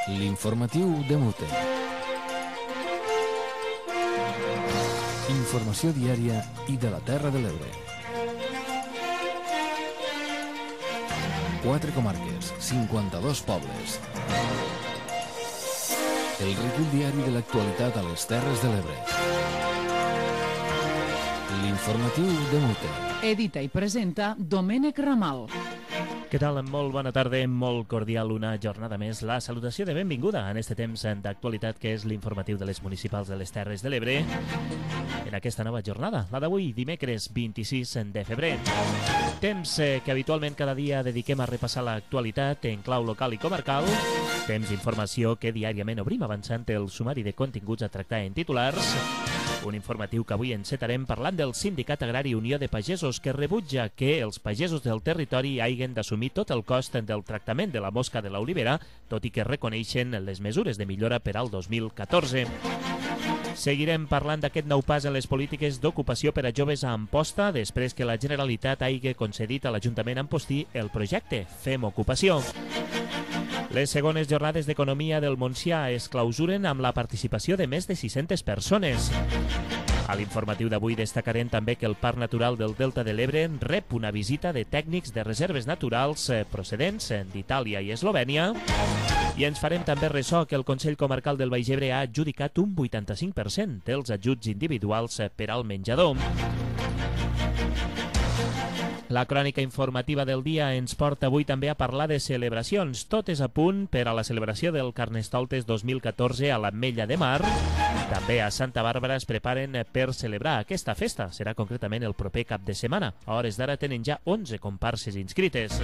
L'informatiu de Mute. Informació diària i de la Terra de l'Ebre. 4 comarques, 52 pobles. El recull diari de l'actualitat a les Terres de l'Ebre. L'informatiu de Mute. Edita i presenta Domènec Ramal. Què tal? Molt bona tarda, molt cordial una jornada més. La salutació de benvinguda en este temps d'actualitat que és l'informatiu de les municipals de les Terres de l'Ebre en aquesta nova jornada, la d'avui, dimecres 26 de febrer. Temps que habitualment cada dia dediquem a repassar l'actualitat en clau local i comarcal. Temps d'informació que diàriament obrim avançant el sumari de continguts a tractar en titulars. Un informatiu que avui encetarem parlant del Sindicat Agrari Unió de Pagesos, que rebutja que els pagesos del territori hagin d'assumir tot el cost del tractament de la mosca de l'olivera, tot i que reconeixen les mesures de millora per al 2014. Seguirem parlant d'aquest nou pas en les polítiques d'ocupació per a joves a Amposta, després que la Generalitat hagi concedit a l'Ajuntament Ampostí el projecte Fem Ocupació. Les segones jornades d'economia del Montsià es clausuren amb la participació de més de 600 persones. A l'informatiu d'avui destacarem també que el Parc Natural del Delta de l'Ebre rep una visita de tècnics de reserves naturals procedents d'Itàlia i Eslovènia. I ens farem també ressò que el Consell Comarcal del Baix Ebre ha adjudicat un 85% dels ajuts individuals per al menjador. La crònica informativa del dia ens porta avui també a parlar de celebracions. Tot és a punt per a la celebració del Carnestoltes 2014 a l'Ametlla de Mar. També a Santa Bàrbara es preparen per celebrar aquesta festa. Serà concretament el proper cap de setmana. A hores d'ara tenen ja 11 comparses inscrites.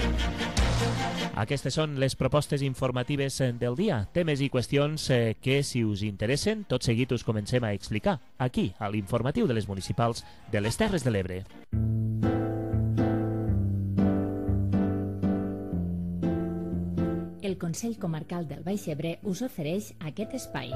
Aquestes són les propostes informatives del dia. Temes i qüestions que, si us interessen, tot seguit us comencem a explicar aquí, a l'informatiu de les municipals de les Terres de l'Ebre. El Consell Comarcal del Baix Ebre us ofereix aquest espai.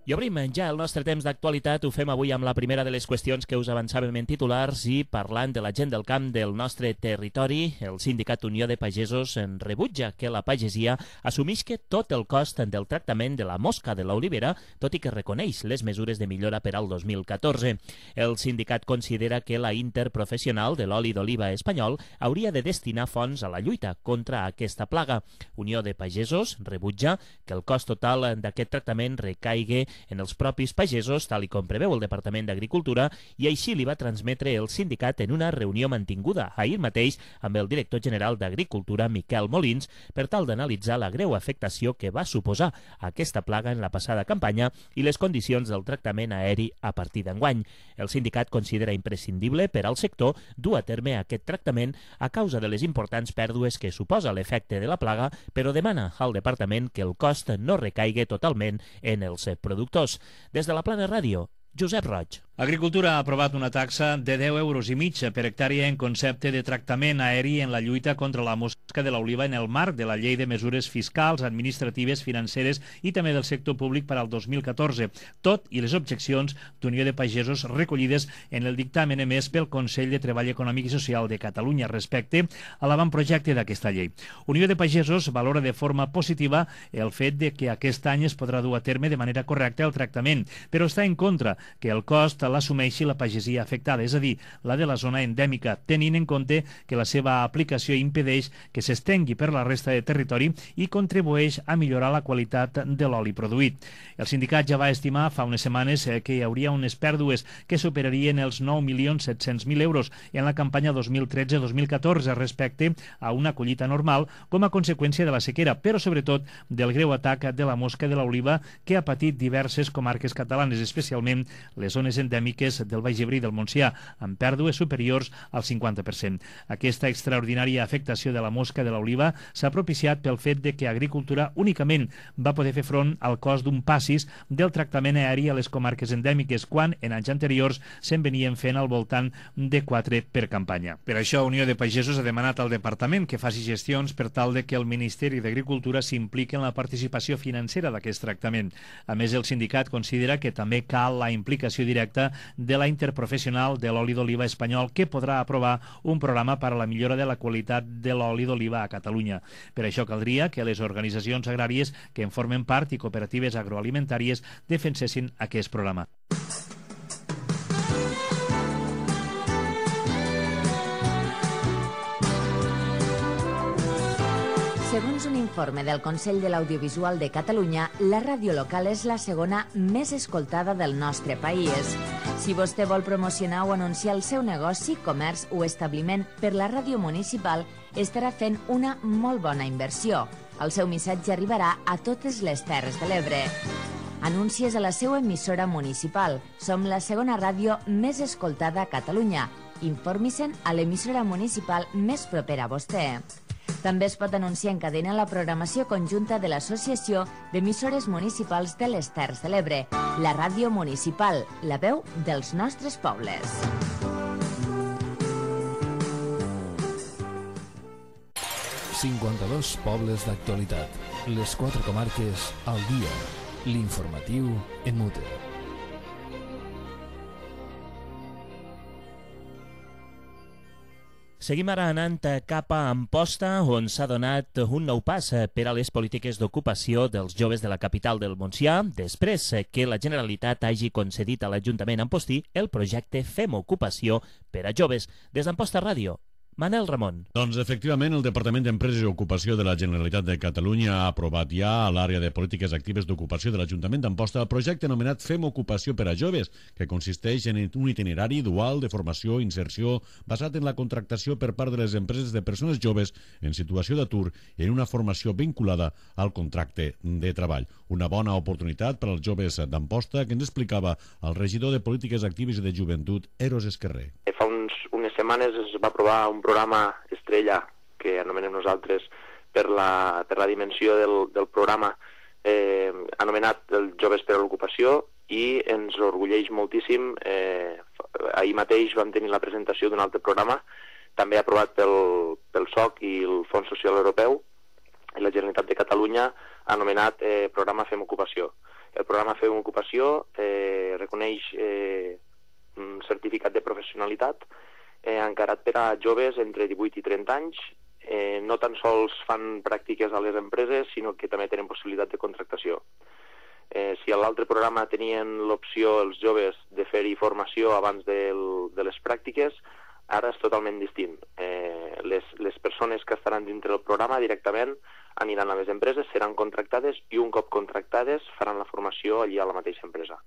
I obrim ja el nostre temps d'actualitat. Ho fem avui amb la primera de les qüestions que us avançàvem en titulars i parlant de la gent del camp del nostre territori. El Sindicat Unió de Pagesos rebutja que la pagesia assumisca tot el cost del tractament de la mosca de l'olivera, tot i que reconeix les mesures de millora per al 2014. El sindicat considera que la interprofessional de l'oli d'oliva espanyol hauria de destinar fons a la lluita contra aquesta plaga. Unió de Pagesos rebutja que el cost total d'aquest tractament recaigui en els propis pagesos, tal i com preveu el Departament d'Agricultura, i així li va transmetre el sindicat en una reunió mantinguda ahir mateix amb el director general d'Agricultura, Miquel Molins, per tal d'analitzar la greu afectació que va suposar aquesta plaga en la passada campanya i les condicions del tractament aeri a partir d'enguany. El sindicat considera imprescindible per al sector dur a terme aquest tractament a causa de les importants pèrdues que suposa l'efecte de la plaga, però demana al departament que el cost no recaigui totalment en els productors. Des de la Plana Ràdio, Josep Roig. Agricultura ha aprovat una taxa de 10,5 € per hectàrea en concepte de tractament aeri en la lluita contra la mosca de l'oliva en el marc de la Llei de Mesures Fiscals, Administratives, Financeres i també del sector públic per al 2014, tot i les objeccions d'Unió de Pagesos recollides en el dictamen emès pel Consell de Treball Econòmic i Social de Catalunya respecte a l'avantprojecte d'aquesta llei. Unió de Pagesos valora de forma positiva el fet de que aquest any es podrà dur a terme de manera correcta el tractament, però està en contra que el cost l'assumeixi la pagesia afectada, és a dir, la de la zona endèmica, tenint en compte que la seva aplicació impedeix que s'estengui per la resta de territori i contribueix a millorar la qualitat de l'oli produït. El sindicat ja va estimar fa unes setmanes que hi hauria unes pèrdues que superarien els 9.700.000 € en la campanya 2013-2014 respecte a una collita normal com a conseqüència de la sequera, però sobretot del greu atac de la mosca de l'oliva que ha patit diverses comarques catalanes, especialment les zones endèmiques del Baix Ebre i del Montsià, amb pèrdues superiors al 50%. Aquesta extraordinària afectació de la mosca de l'oliva s'ha propiciat pel fet de que Agricultura únicament va poder fer front al cost d'un passis del tractament aeri a les comarques endèmiques, quan en anys anteriors se'n venien fent al voltant de 4 per campanya. Per això, Unió de Pagesos ha demanat al Departament que faci gestions per tal de que el Ministeri d'Agricultura s'impliqui en la participació financera d'aquest tractament. A més, el sindicat considera que també cal la implicació directa presidenta de la Interprofessional de l'Oli d'Oliva Espanyol, que podrà aprovar un programa per a la millora de la qualitat de l'oli d'oliva a Catalunya. Per això caldria que les organitzacions agràries que en formen part i cooperatives agroalimentàries defensessin aquest programa. Segons un informe del Consell de l'Audiovisual de Catalunya, la ràdio local és la segona més escoltada del nostre país. Si vostè vol promocionar o anunciar el seu negoci, comerç o establiment per la ràdio municipal, estarà fent una molt bona inversió. El seu missatge arribarà a totes les Terres de l'Ebre. Anuncies a la seva emissora municipal. Som la segona ràdio més escoltada a Catalunya. Informi-se'n a l'emissora municipal més propera a vostè. També es pot anunciar en cadena la programació conjunta de l'Associació d'Emissores Municipals de les Terres de l'Ebre, la ràdio municipal, la veu dels nostres pobles. ...52 pobles d'actualitat. Les 4 comarques al dia. L'informatiu en Mute. Seguim ara anant cap a Amposta, on s'ha donat un nou pas per a les polítiques d'ocupació dels joves de la capital del Montsià, després que la Generalitat hagi concedit a l'Ajuntament ampostí el projecte Fem Ocupació per a joves. Des d'Amposta Ràdio, Manel Ramon. Doncs efectivament el Departament d'Empreses i Ocupació de la Generalitat de Catalunya ha aprovat ja a l'àrea de polítiques actives d'ocupació de l'Ajuntament d'Amposta el projecte anomenat Fem Ocupació per a joves, que consisteix en un itinerari dual de formació i inserció basat en la contractació per part de les empreses de persones joves en situació d'atur i en una formació vinculada al contracte de treball. Una bona oportunitat per als joves d'Amposta, que ens explicava el regidor de Polítiques Actives i de Joventut, Eros Esquerrer. Fa unes setmanes es va aprovar un programa estrella, que anomenem nosaltres, per la dimensió del programa anomenat els Joves per a l'Ocupació, i ens orgulleix moltíssim. Ahir mateix vam tenir la presentació d'un altre programa, també aprovat pel SOC i el Fons Social Europeu, i la Generalitat de Catalunya, anomenat Programa Fem Ocupació. El programa Fem Ocupació reconeix un certificat de professionalitat encarat per a joves entre 18 i 30 anys. No tan sols fan pràctiques a les empreses, sinó que també tenen possibilitat de contractació. Si a l'altre programa tenien l'opció els joves de fer-hi formació abans de les pràctiques, ara és totalment distint. Les persones que estaran dintre del programa directament aniran a les empreses, seran contractades i un cop contractades faran la formació allí a la mateixa empresa.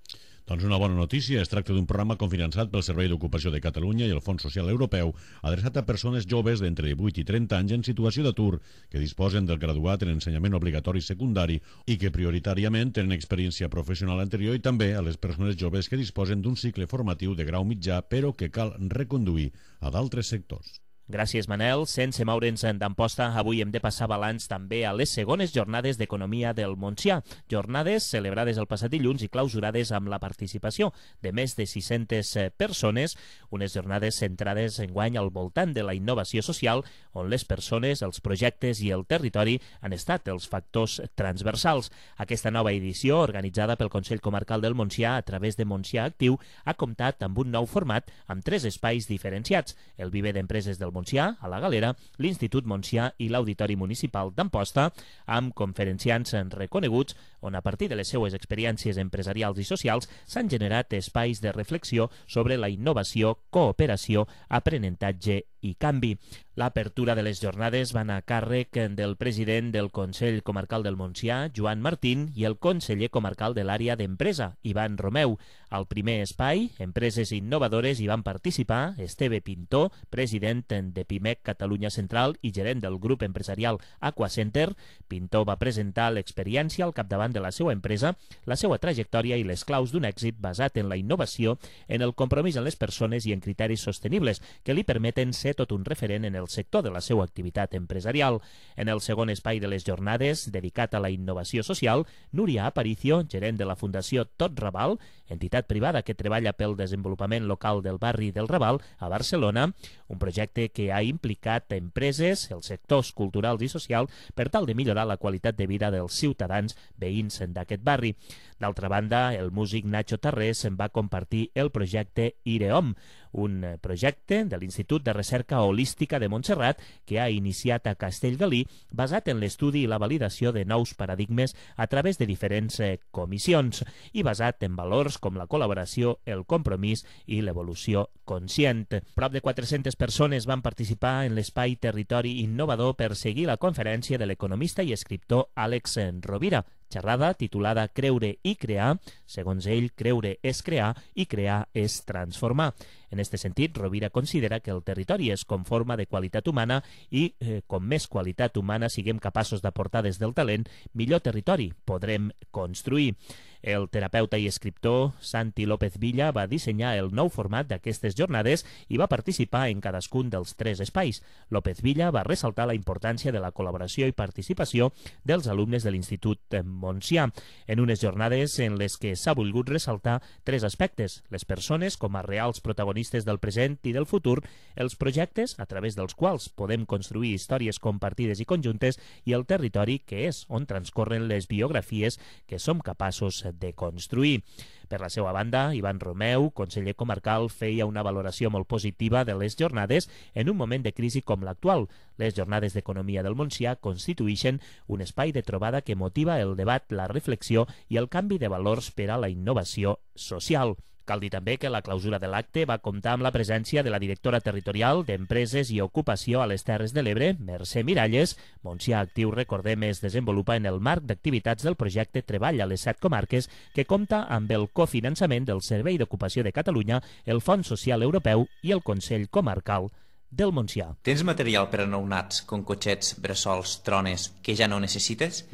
Doncs una bona notícia. Es tracta d'un programa cofinançat pel Servei d'Ocupació de Catalunya i el Fons Social Europeu, adreçat a persones joves d'entre 18 i 30 anys en situació d'atur, que disposen del graduat en ensenyament obligatori secundari i que prioritàriament tenen experiència professional anterior, i també a les persones joves que disposen d'un cicle formatiu de grau mitjà però que cal reconduir a d'altres sectors. Gràcies, Manel. Sense moure'ns d'Amposta, avui hem de passar balanç també a les segones jornades d'economia del Montsià. Jornades celebrades el passat dilluns i clausurades amb la participació de més de 600 persones, unes jornades centrades enguany al voltant de la innovació social, on les persones, els projectes i el territori han estat els factors transversals. Aquesta nova edició, organitzada pel Consell Comarcal del Montsià a través de Montsià Actiu, ha comptat amb un nou format amb 3 espais diferenciats: el Viver d'Empreses del Montsià, a la Galera, l'Institut Montsià i l'Auditori Municipal d'Amposta, amb conferenciants reconeguts, on a partir de les seues experiències empresarials i socials s'han generat espais de reflexió sobre la innovació, cooperació, aprenentatge i canvi. L'apertura de les jornades va anar a càrrec del president del Consell Comarcal del Montsià, Joan Martín, i el conseller comarcal de l'àrea d'empresa, Ivan Romeu. Al primer espai, Empreses Innovadores, hi van participar Esteve Pintó, president de PIMEC Catalunya Central i gerent del grup empresarial Aquacenter. Pintó va presentar l'experiència al capdavant de la seva empresa, la seva trajectòria i les claus d'un èxit basat en la innovació, en el compromís en les persones i en criteris sostenibles que li permeten ser ser tot un referent en el sector de la seva activitat empresarial. En el segon espai de les jornades, dedicat a la innovació social, Núria Aparicio, gerent de la Fundació Tot Raval, entitat privada que treballa pel desenvolupament local del barri del Raval, a Barcelona, un projecte que ha implicat empreses, els sectors culturals i socials, per tal de millorar la qualitat de vida dels ciutadans veïns d'aquest barri. D'altra banda, el músic Nacho Tarrés va compartir el projecte IREOM, un projecte de l'Institut de Recerca Holística de Montserrat que ha iniciat a Castellgalí basat en l'estudi i la validació de nous paradigmes a través de diferents comissions i basat en valors com la col·laboració, el compromís i l'evolució conscient. Prop de 400 persones van participar en l'espai Territori Innovador per seguir la conferència de l'economista i escriptor Àlex Rovira, xerrada titulada Creure i crear. Segons ell, creure és crear i crear és transformar. En aquest sentit, Rovira considera que el territori és com forma de qualitat humana i com més qualitat humana siguem capaços d'aportar des del talent, millor territori podrem construir. El terapeuta i escriptor Santi López Villa va dissenyar el nou format d'aquestes jornades i va participar en cadascun dels 3 espais. López Villa va ressaltar la importància de la col·laboració i participació dels alumnes de l'Institut Montsià, en unes jornades en les que s'ha volgut ressaltar 3 aspectes: les persones com a reals protagonistes del present i del futur, els projectes a través dels quals podem construir històries compartides i conjuntes, i el territori, que és on transcorren les biografies que som capaços de construir. Per la seva banda, Ivan Romeu, conseller comarcal, feia una valoració molt positiva de les jornades en un moment de crisi com l'actual. Les jornades d'economia del Montsià constituïxen un espai de trobada que motiva el debat, la reflexió i el canvi de valors per a la innovació social. Cal dir també que la clausura de l'acte va comptar amb la presència de la directora territorial d'Empreses i Ocupació a les Terres de l'Ebre, Mercè Miralles. Montsià Actiu, recordem, es desenvolupa en el marc d'activitats del projecte Treball a les 7 comarques, que compta amb el cofinançament del Servei d'Ocupació de Catalunya, el Fons Social Europeu i el Consell Comarcal del Montsià. Tens material per a nounats, com cotxets, bressols, trones, que ja no necessites?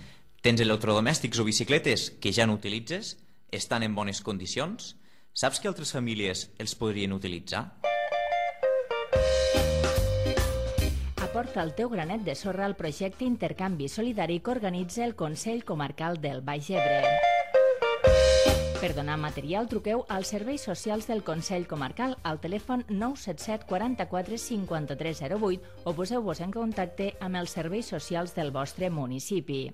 Tens electrodomèstics o bicicletes que ja no utilitzes? Estan en bones condicions? Saps que altres famílies els podrien utilitzar? Aporta el teu granet de sorra al projecte Intercanvi Solidari que organitza el Consell Comarcal del Baix Ebre. Per donar material, truqueu als serveis socials del Consell Comarcal al telèfon 977 44 53 08 o poseu-vos en contacte amb els serveis socials del vostre municipi.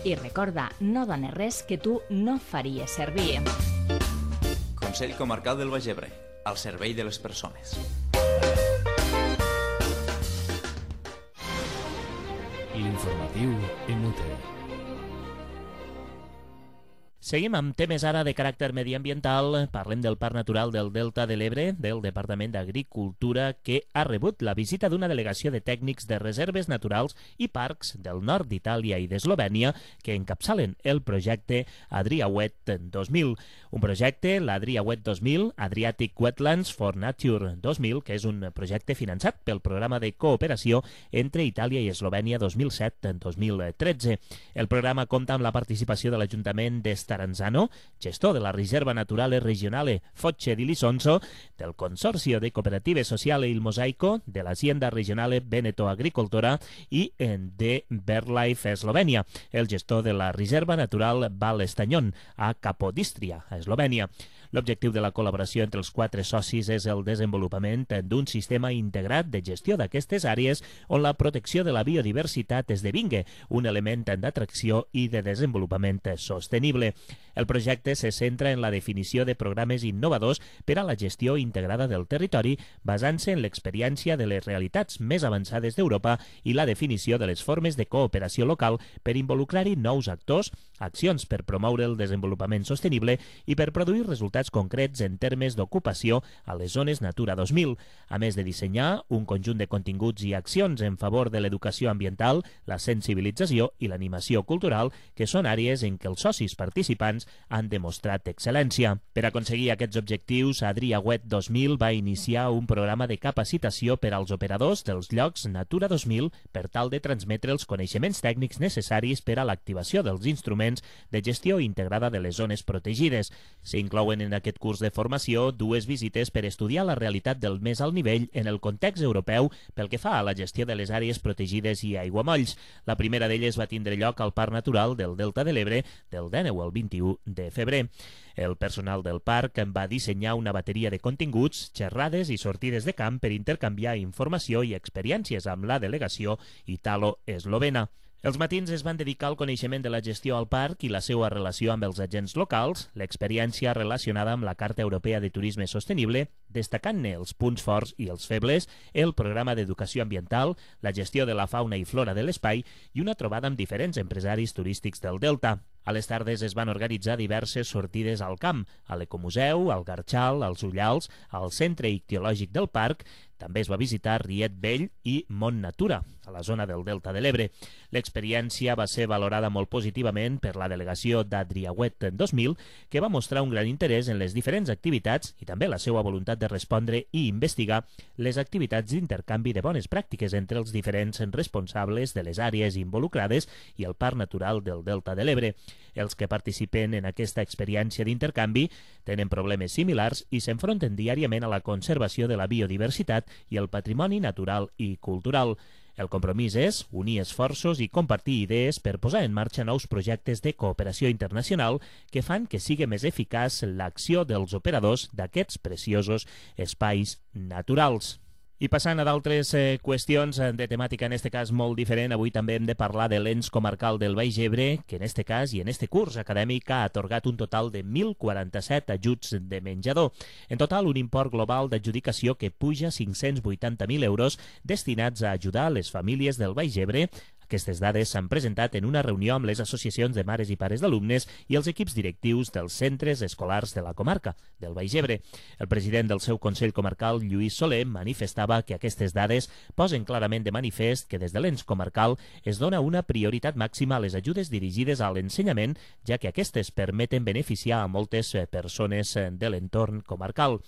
I recorda, no dones res que tu no faries servir. Consell Comarcal del Baix Ebre, al servei de les persones. L'informatiu MUTE. Seguim amb temes ara de caràcter mediambiental. Parlem del Parc Natural del Delta de l'Ebre, del Departament d'Agricultura, que ha rebut la visita d'una delegació de tècnics de reserves naturals i parcs del nord d'Itàlia i d'Eslovènia que encapçalen el projecte Adriawet 2000. Un projecte, l'Adriawet 2000, Adriatic Wetlands for Nature 2000, que és un projecte finançat pel programa de cooperació entre Itàlia i Eslovènia 2007-2013. El programa compta amb la participació de l'Ajuntament de Staranzano, gestor de la Riserva Naturale Regionale Foce di Lisonzo, del Consorzio de Cooperative Sociale Il Mosaico, de l'Hacienda Regionale Veneto Agricoltora i de BirdLife Eslovènia, el gestor de la Riserva Natural Val Estanyón, a Capodistria, a Eslovènia. L'objectiu de la col·laboració entre els 4 socis és el desenvolupament d'un sistema integrat de gestió d'aquestes àrees on la protecció de la biodiversitat esdevingui un element d'atracció i de desenvolupament sostenible. El projecte se centra en la definició de programes innovadors per a la gestió integrada del territori, basant-se en l'experiència de les realitats més avançades d'Europa i la definició de les formes de cooperació local per involucrar-hi nous actors, accions per promoure el desenvolupament sostenible i per produir resultats concrets en termes d'ocupació a les zones Natura 2000, a més de dissenyar un conjunt de continguts i accions en favor de l'educació ambiental, la sensibilització i l'animació cultural, que són àrees en què els socis participants han demostrat excel·lència. Per aconseguir aquests objectius, Adriaguet 2000 va iniciar un programa de capacitació per als operadors dels llocs Natura 2000 per tal de transmetre els coneixements tècnics necessaris per a l'activació dels instruments de gestió integrada de les zones protegides. S'inclouen en aquest curs de formació 2 visites per estudiar la realitat del més alt nivell en el context europeu pel que fa a la gestió de les àrees protegides i aiguamolls. La primera d'elles va tindre lloc al Parc Natural del Delta de l'Ebre del 19 al 21 de febrer. El personal del parc va dissenyar una bateria de continguts, xerrades i sortides de camp per intercanviar informació i experiències amb la delegació italo-eslovena. Els matins es van dedicar al coneixement de la gestió al parc i la seva relació amb els agents locals, l'experiència relacionada amb la Carta Europea de Turisme Sostenible, destacant-ne els punts forts i els febles, el programa d'educació ambiental, la gestió de la fauna i flora de l'espai i una trobada amb diferents empresaris turístics del Delta. A les tardes es van organitzar diverses sortides al camp, a l'Ecomuseu, al Garxal, als Ullals, al Centre Ictiològic del Parc. També es va visitar Riet Vell i Mont Natura, a la zona del Delta de l'Ebre. L'experiència va ser valorada molt positivament per la delegació d'Adriaguet 2000, que va mostrar un gran interès en les diferents activitats i també la seva voluntat de respondre i investigar les activitats d'intercanvi de bones pràctiques entre els diferents responsables de les àrees involucrades i el Parc Natural del Delta de l'Ebre. Els que participen en aquesta experiència d'intercanvi tenen problemes similars i s'enfronten diàriament a la conservació de la biodiversitat i el patrimoni natural i cultural. El compromís és unir esforços i compartir idees per posar en marxa nous projectes de cooperació internacional que fan que sigui més eficaç l'acció dels operadors d'aquests preciosos espais naturals. I passant a d'altres qüestions de temàtica, en este cas molt diferent, avui també hem de parlar de l'ens comarcal del Baix Ebre, que en este cas i en este curs acadèmic ha atorgat un total de 1.047 ajuts de menjador. En total, un import global d'adjudicació que puja 580.000 euros destinats a ajudar les famílies del Baix Ebre. Aquestes dades s'han presentat en una reunió amb les associacions de mares i pares d'alumnes i els equips directius dels centres escolars de la comarca del Baix Ebre. El president del seu Consell Comarcal, Lluís Soler, manifestava que aquestes dades posen clarament de manifest que des de l'ens comarcal es dona una prioritat màxima a les ajudes dirigides a l'ensenyament, ja que aquestes permeten beneficiar a moltes persones de l'entorn comarcal.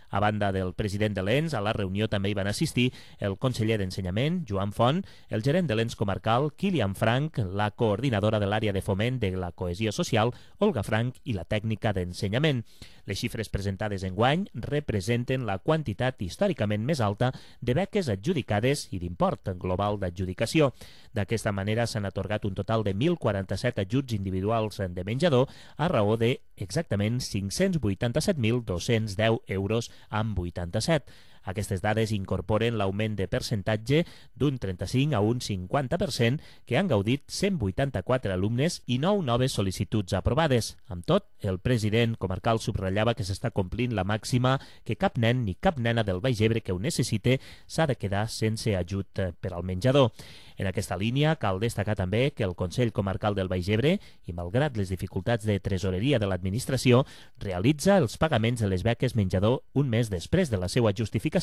A banda del president de l'ENS, a la reunió també hi van assistir el conseller d'Ensenyament, Joan Font, el gerent de l'ENS comarcal, Kilian Frank, la coordinadora de l'àrea de foment de la cohesió social, Olga Frank, i la tècnica d'ensenyament. Les xifres presentades enguany representen la quantitat històricament més alta de beques adjudicades i d'import global d'adjudicació. D'aquesta manera s'han atorgat un total de 1.047 ajuts individuals de menjador a raó de exactament 587.210 euros amb 87. Aquestes dades incorporen l'augment de percentatge d'un 35 a un 50% que han gaudit 184 alumnes i 9 noves sol·licituds aprovades. Amb tot, el president comarcal subratllava que s'està complint la màxima que cap nen ni cap nena del Baix Ebre que ho necessite s'ha de quedar sense ajut per al menjador. En aquesta línia, cal destacar també que el Consell Comarcal del Baix Ebre, i malgrat les dificultats de tresoreria de l'administració, realitza els pagaments de les beques menjador un mes després de la seva justificació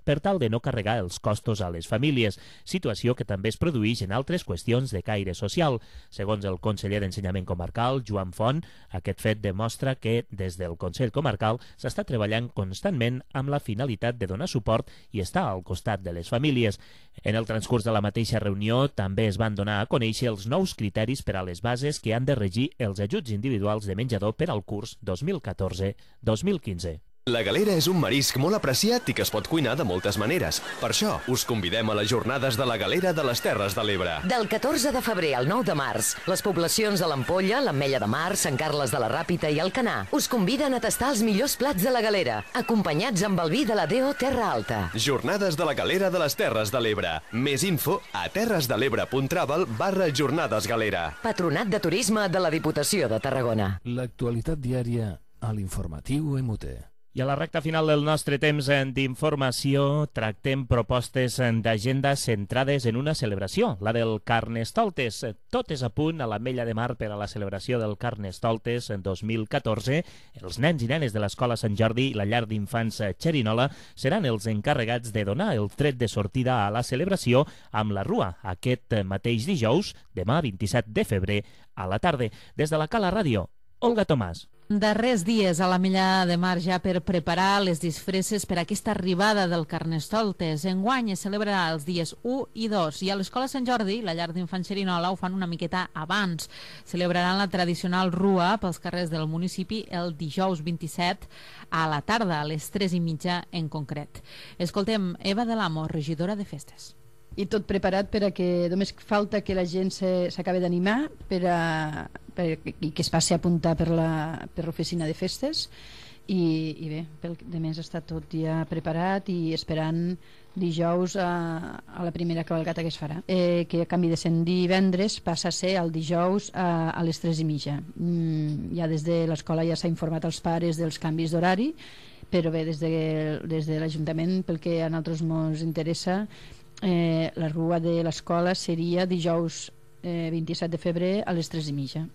per tal de no carregar els costos a les famílies, situació que també es produeix en altres qüestions de caire social. Segons el conseller d'Ensenyament Comarcal, Joan Font, aquest fet demostra que des del Consell Comarcal s'està treballant constantment amb la finalitat de donar suport i estar al costat de les famílies. En el transcurs de la mateixa reunió també es van donar a conèixer els nous criteris per a les bases que han de regir els ajuts individuals de menjador per al curs 2014-2015. La galera és un marisc molt apreciat i que es pot cuinar de moltes maneres. Per això, us convidem a les jornades de la galera de les Terres de l'Ebre. Del 14 de febrer al 9 de març, les poblacions de l'Ampolla, l'Ametlla de Mar, Sant Carles de la Ràpita i Alcanar us conviden a tastar els millors plats de la galera, acompanyats amb el vi de la DO Terra Alta. Jornades de la galera de les Terres de l'Ebre. Més info a terresdelebre.travel/jornadesgalera. Patronat de Turisme de la Diputació de Tarragona. L'actualitat diària a l'informatiu MUT. I a la recta final del nostre temps d'informació tractem propostes d'agenda centrades en una celebració, la del Carnestoltes. Tot és a punt a l'Ametlla de Mar per a la celebració del Carnestoltes en 2014. Els nens i nenes de l'Escola Sant Jordi i la llar d'infants Xerinola seran els encarregats de donar el tret de sortida a la celebració amb la Rua aquest mateix dijous, demà 27 de febrer, a la tarda. Des de la Cala Ràdio, Olga Tomàs. Darrers dies a l'Ametlla de Mar ja per preparar les disfresses per a aquesta arribada del Carnestoltes. Enguany es celebrarà els dies 1 i 2 i a l'Escola Sant Jordi, la llar d'infants Xerinola, ho fan una miqueta abans. Celebraran la tradicional rua pels carrers del municipi el dijous 27 a la tarda, a les 3:30 en concret. Escoltem Eva de l'Amo, regidora de festes. I tot preparat per a que només falta que la gent s'acabi d'animar i que es passi a apuntar per l'oficina de festes i bé, de més està tot ja preparat i esperant dijous a la primera cavalcata que es farà, que a canvi de ser divendres passa a ser el dijous a les 3:30. Ja des de l'escola ja s'ha informat als pares dels canvis d'horari, però bé, des de l'Ajuntament, pel que a nosaltres ens interessa, la rua de l'escola seria dijous 27 de febrer a les 3:30.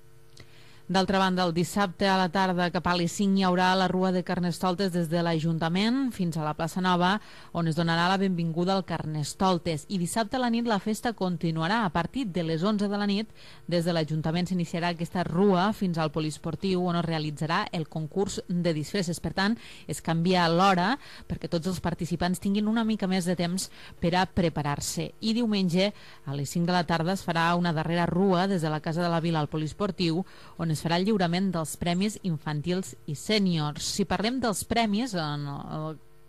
D'altra banda, el dissabte a la tarda cap a les 5 hi haurà la rua de Carnestoltes des de l'Ajuntament fins a la plaça Nova, on es donarà la benvinguda al Carnestoltes. I dissabte a la nit la festa continuarà. A partir de les 11 de la nit, des de l'Ajuntament s'iniciarà aquesta rua fins al poliesportiu, on es realitzarà el concurs de disfresses. Per tant, es canvia l'hora perquè tots els participants tinguin una mica més de temps per a preparar-se. I diumenge, a les 5 de la tarda, es farà una darrera rua des de la Casa de la Vila al poliesportiu, on es farà el lliurament dels premis infantils i sèniors. Si parlem dels premis,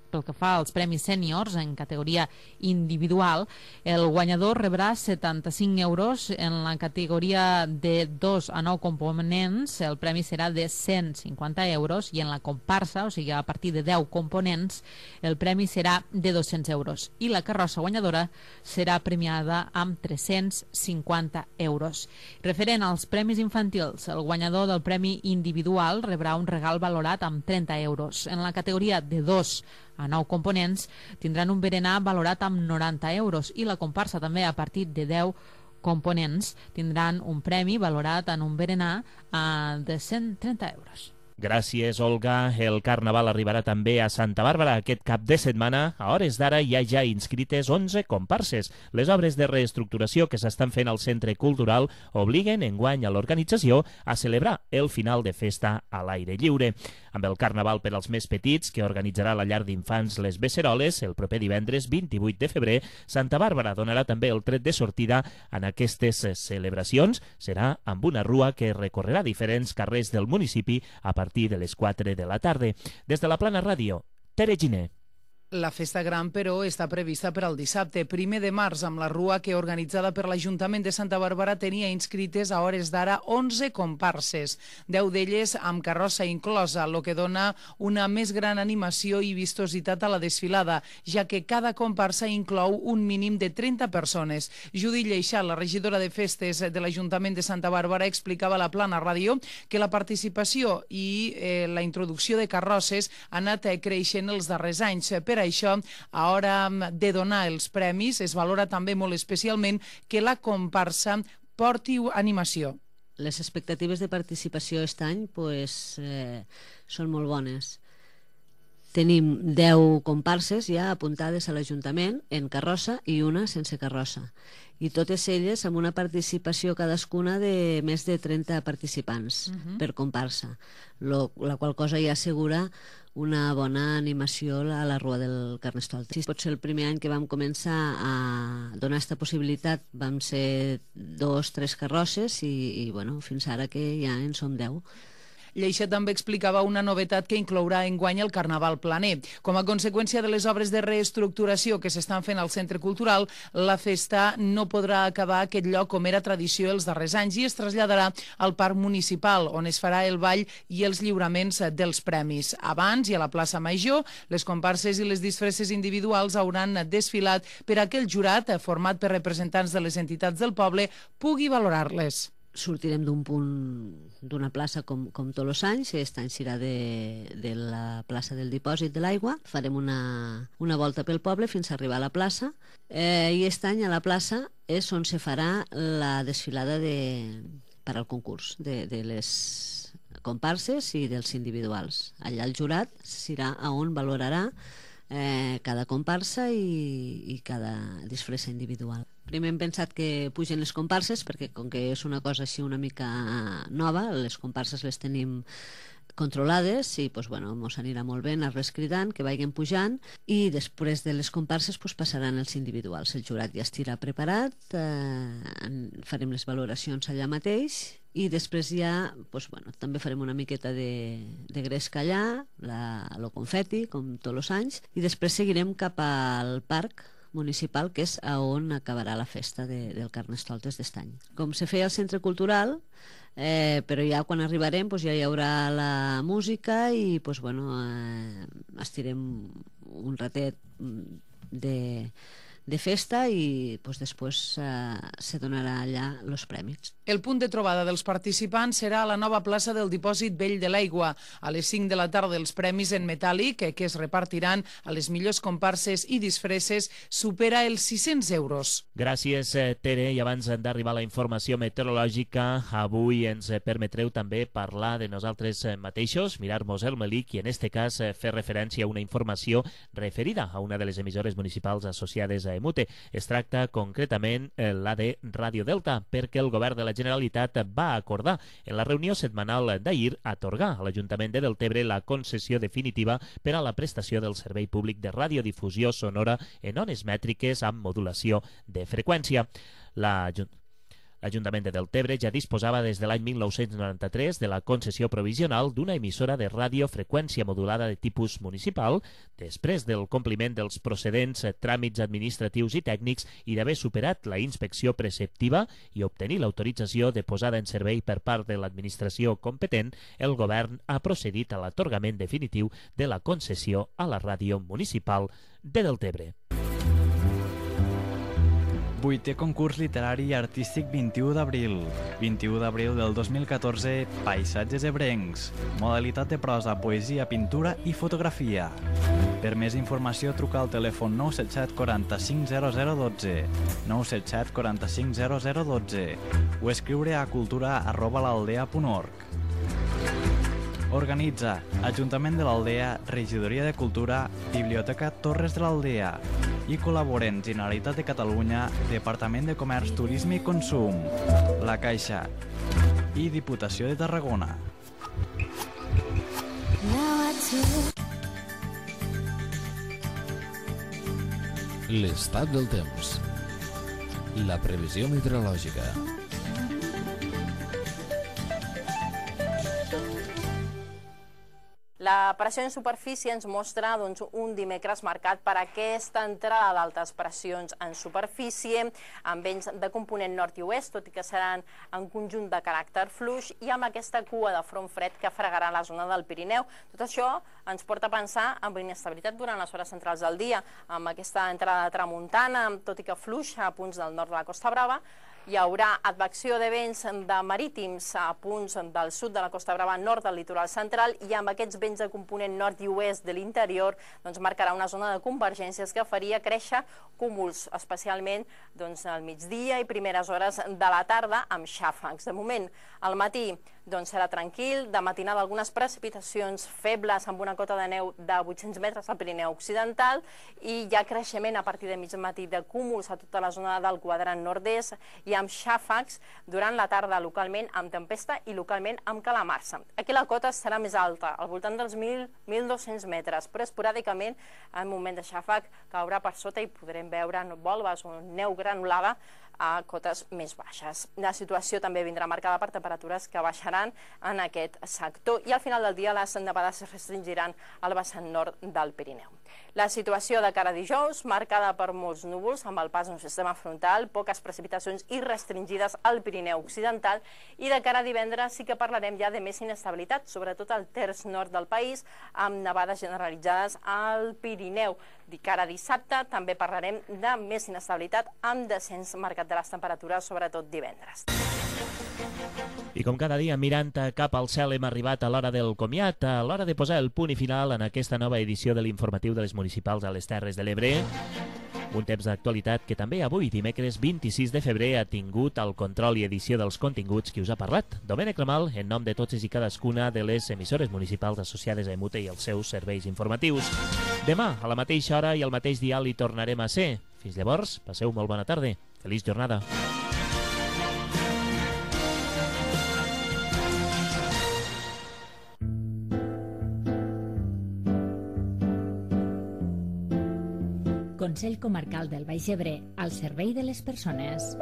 pel que fa als premis sèniors en categoria individual, el guanyador rebrà 75 euros. En la categoria de 2 a 9 components el premi serà de 150 euros i en la comparsa, o sigui a partir de 10 components, el premi serà de 200 euros i la carrossa guanyadora serà premiada amb 350 euros. Referent als premis infantils, el guanyador del premi individual rebrà un regal valorat amb 30 euros. En la categoria de 2 a 9 components tindran un berenar valorat amb 90 euros i la comparsa també a partir de 10 components tindran un premi valorat en un berenar de 130 euros. Gràcies, Olga. El Carnaval arribarà també a Santa Bàrbara aquest cap de setmana. A hores d'ara hi ha ja inscrites 11 comparses. Les obres de reestructuració que s'estan fent al Centre Cultural obliguen enguany a l'organització a celebrar el final de festa a l'aire lliure. Amb el Carnaval per als més petits, que organitzarà la llar d'infants Les Beceroles el proper divendres 28 de febrer, Santa Bàrbara donarà també el tret de sortida en aquestes celebracions. Serà amb una rua que recorrerà diferents carrers del municipi a partir de les 4 de la tarda. Des de la Plana Ràdio, Tere Giner. La festa gran, però, està prevista per al dissabte, 1 de març, amb la rua que, organitzada per l'Ajuntament de Santa Bàrbara, tenia inscrites a hores d'ara 11 comparses, 10 d'elles amb carrossa inclosa, el que dona una més gran animació i vistositat a la desfilada, ja que cada comparsa inclou un mínim de 30 persones. Judit Lleixà, la regidora de festes de l'Ajuntament de Santa Bàrbara, explicava a la Plana Ràdio que la participació i la introducció de carrosses ha anat creixent els darrers anys. Per això, a hora de donar els premis, es valora també molt especialment que la comparsa porti animació. Les expectatives de participació aquest any són molt bones. Tenim 10 comparses ja apuntades a l'Ajuntament en carrossa i una sense carrossa. I totes elles amb una participació cadascuna de més de 30 participants per comparsa, la qual cosa ja assegura una bona animació a la rua del Carnestoltes. Pot ser el primer any que vam començar a donar aquesta possibilitat, vam ser 2 o 3 carrosses i fins ara que ja en som 10. Lleixà també explicava una novetat que inclourà enguany el Carnaval planer. Com a conseqüència de les obres de reestructuració que s'estan fent al Centre Cultural, la festa no podrà acabar aquest lloc com era tradició els darrers anys i es traslladarà al Parc Municipal, on es farà el ball i els lliuraments dels premis. Abans, i a la plaça Major, les comparses i les disfresses individuals hauran desfilat per a que el jurat, format per representants de les entitats del poble, pugui valorar-les. Sortirem d'un punt d'una plaça com tots els anys. Aquest any serà de la plaça del Dipòsit de l'Aigua. Farem una volta pel poble fins a arribar a la plaça i aquest any a la plaça és on se farà la desfilada per al concurs de les comparses i dels individuals. Allà el jurat serà on valorarà cada comparsa i cada disfressa individual. Primer hem pensat que pugen les comparses, perquè com que és una cosa així una mica nova, les comparses les tenim controlades i doncs, bueno, mos anirà molt bé anar-les cridant, que vagin pujant, i després de les comparses doncs, passaran els individuals. El jurat ja estirà preparat, farem les valoracions allà mateix i després ja doncs, bueno, també farem una miqueta de gresca allà, el confeti, com tots els anys, i després seguirem cap al parc municipal, que és on acabarà la festa del Carnestoltes d'est any. Com se feia al Centre Cultural, però ja quan arribarem ja hi haurà la música i estirem un ratet de festa i després se donarà allà els premis. El punt de trobada dels participants serà a la nova plaça del Dipòsit Vell de l'Aigua. A les 5 de la tarda els premis en metàl·lic que es repartiran a les millors comparses i disfresses supera els 600 euros. Gràcies, Tere. I abans d'arribar a la informació meteorològica, avui ens permetreu també parlar de nosaltres mateixos, mirar-nos el melic i en este cas fer referència a una informació referida a una de les emissores municipals associades a EMUTE. Es tracta concretament la de Radio Delta, perquè el govern de la Generalitat va acordar en la reunió setmanal d'ahir atorgar a l'Ajuntament de Deltebre la concessió definitiva per a la prestació del servei públic de radiodifusió sonora en ones mètriques amb modulació de freqüència. L'Ajuntament de Deltebre ja disposava des de l'any 1993 de la concessió provisional d'una emissora de radiofreqüència modulada de tipus municipal, després del compliment dels procedents tràmits administratius i tècnics i d'haver superat la inspecció preceptiva i obtenir l'autorització de posada en servei per part de l'administració competent, el govern ha procedit a l'atorgament definitiu de la concessió a la ràdio municipal de Deltebre. 8è concurs literari i artístic 21 d'abril. 21 d'abril del 2014, Paisatges ebrencs. Modalitat de prosa, poesia, pintura i fotografia. Per més informació, truca al telèfon 977 45 0012, 977 45 0012 o escriure a cultura@l'aldea.org. Organitza Ajuntament de l'Aldea, Regidoria de Cultura, Biblioteca Torres de l'Aldea i col·laboren Generalitat de Catalunya, Departament de Comerç, Turisme i Consum, La Caixa i Diputació de Tarragona. L'estat del temps. La previsió meteorològica. La pressió en superfície ens mostra un dimecres marcat per aquesta entrada d'altes pressions en superfície amb vents de component nord i oest, tot i que seran en conjunt de caràcter fluix i amb aquesta cua de front fred que fregarà la zona del Pirineu. Tot això ens porta a pensar en inestabilitat durant les hores centrals del dia, amb aquesta entrada de tramuntana, tot i que fluixa a punts del nord de la Costa Brava. Hi haurà advecció de vents de marítims a punts del sud de la Costa Brava, nord del litoral central, i amb aquests vents de component nord i oest de l'interior marcarà una zona de convergències que faria créixer cúmuls, especialment al migdia i primeres hores de la tarda, amb xàfecs. De moment, al matí serà tranquil, de matinada algunes precipitacions febles amb una cota de neu de 800 metres al Pirineu Occidental i hi ha creixement a partir de mig matí de cúmuls a tota la zona del quadrant nord-est i amb xàfecs durant la tarda localment amb tempesta i localment amb calamarsa. Aquí la cota serà més alta, al voltant dels 1.200 metres, però esporàdicament en moment de xàfec caurà per sota i podrem veure volves o neu granulada a cotes més baixes. La situació també vindrà marcada per temperatures que baixaran en aquest sector i al final del dia les nevades es restringiran al vessant nord del Pirineu. La situació de cara a dijous, marcada per molts núvols amb el pas d'un sistema frontal, poques precipitacions i restringides al Pirineu Occidental, i de cara a divendres sí que parlarem ja de més inestabilitat, sobretot al terç nord del país, amb nevades generalitzades al Pirineu. De cara a dissabte també parlarem de més inestabilitat amb descens marcat de les temperatures, sobretot divendres. I com cada dia, mirant cap al cel, hem arribat a l'hora del comiat, a l'hora de posar el punt i final en aquesta nova edició de l'informatiu de les municipals a les Terres de l'Ebre. Un temps d'actualitat que també avui, dimecres 26 de febrer, ha tingut el control i edició dels continguts que us ha parlat Domènec Ramal, en nom de totes i cadascuna de les emissores municipals associades a EMUTE i els seus serveis informatius. Demà, a la mateixa hora i al mateix dial, hi tornarem a ser. Fins llavors, passeu molt bona tarda. Feliç jornada. Consell Comarcal del Baix Ebre, al servei de les persones.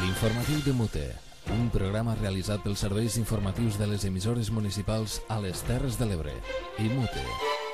L'informatiu de Mute, un programa realitzat pels serveis informatius de les emissores municipals a les Terres de l'Ebre i Mute.